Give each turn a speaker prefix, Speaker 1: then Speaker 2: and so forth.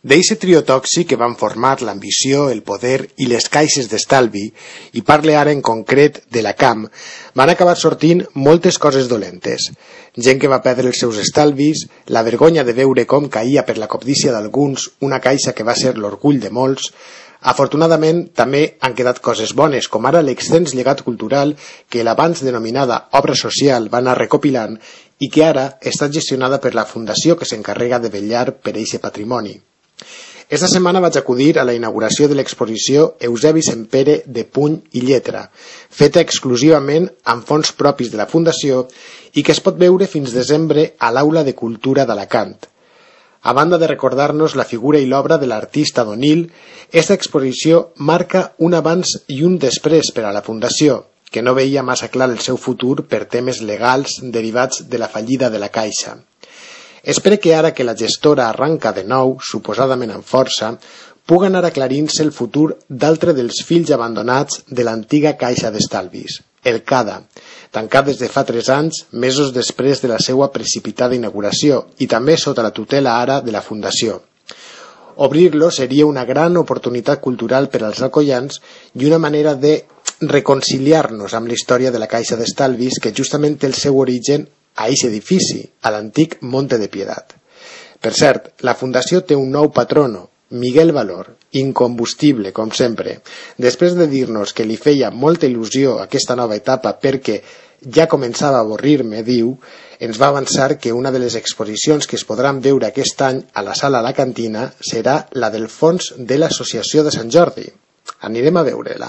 Speaker 1: D'eixe trio tòxic que van formar l'ambició, el poder i les caixes d'estalvi, i parle ara en concret de la CAM, van acabar sortint moltes coses dolentes. Gent que va perdre els seus estalvis, la vergonya de veure com caïa per la cobdícia d'alguns una caixa que va ser l'orgull de molts. Afortunadament, també han quedat coses bones, com ara l'extens llegat cultural que l'abans denominada obra social va anar recopilant i que ara està gestionada per la fundació que s'encarrega de vetllar per eixe patrimoni. Esta setmana vaig acudir a la inauguració de l'exposició Eusebi Sempere de Puny i Lletra, feta exclusivament amb fons propis de la Fundació i que es pot veure fins desembre a l'Aula de Cultura d'Alacant. A banda de recordar-nos la figura i l'obra de l'artista Donil, esta exposició marca un abans i un després per a la Fundació, que no veia massa clar el seu futur per temes legals derivats de la fallida de la Caixa. Espero que ara que la gestora arranca de nou, suposadament amb força, puga anar aclarint-se el futur d'altre dels fills abandonats de l'antiga Caixa d'Estalvis, el CADA, tancat des de fa 3 anys, mesos després de la seva precipitada inauguració i també sota la tutela ara de la Fundació. Obrir-lo seria una gran oportunitat cultural per als alcoians i una manera de reconciliar-nos amb la història de la Caixa d'Estalvis que justament té el seu origen a aquest edifici, a l'antic Monte de Piedat. Per cert, la Fundació té un nou patrono, Miguel Valor, incombustible, com sempre. Després de dir-nos que li feia molta il·lusió aquesta nova etapa perquè ja començava a avorrir-me, diu, ens va avançar que una de les exposicions que es podran veure aquest any a la sala La Cantina serà la del fons de l'Associació de Sant Jordi. Anirem a veure-la.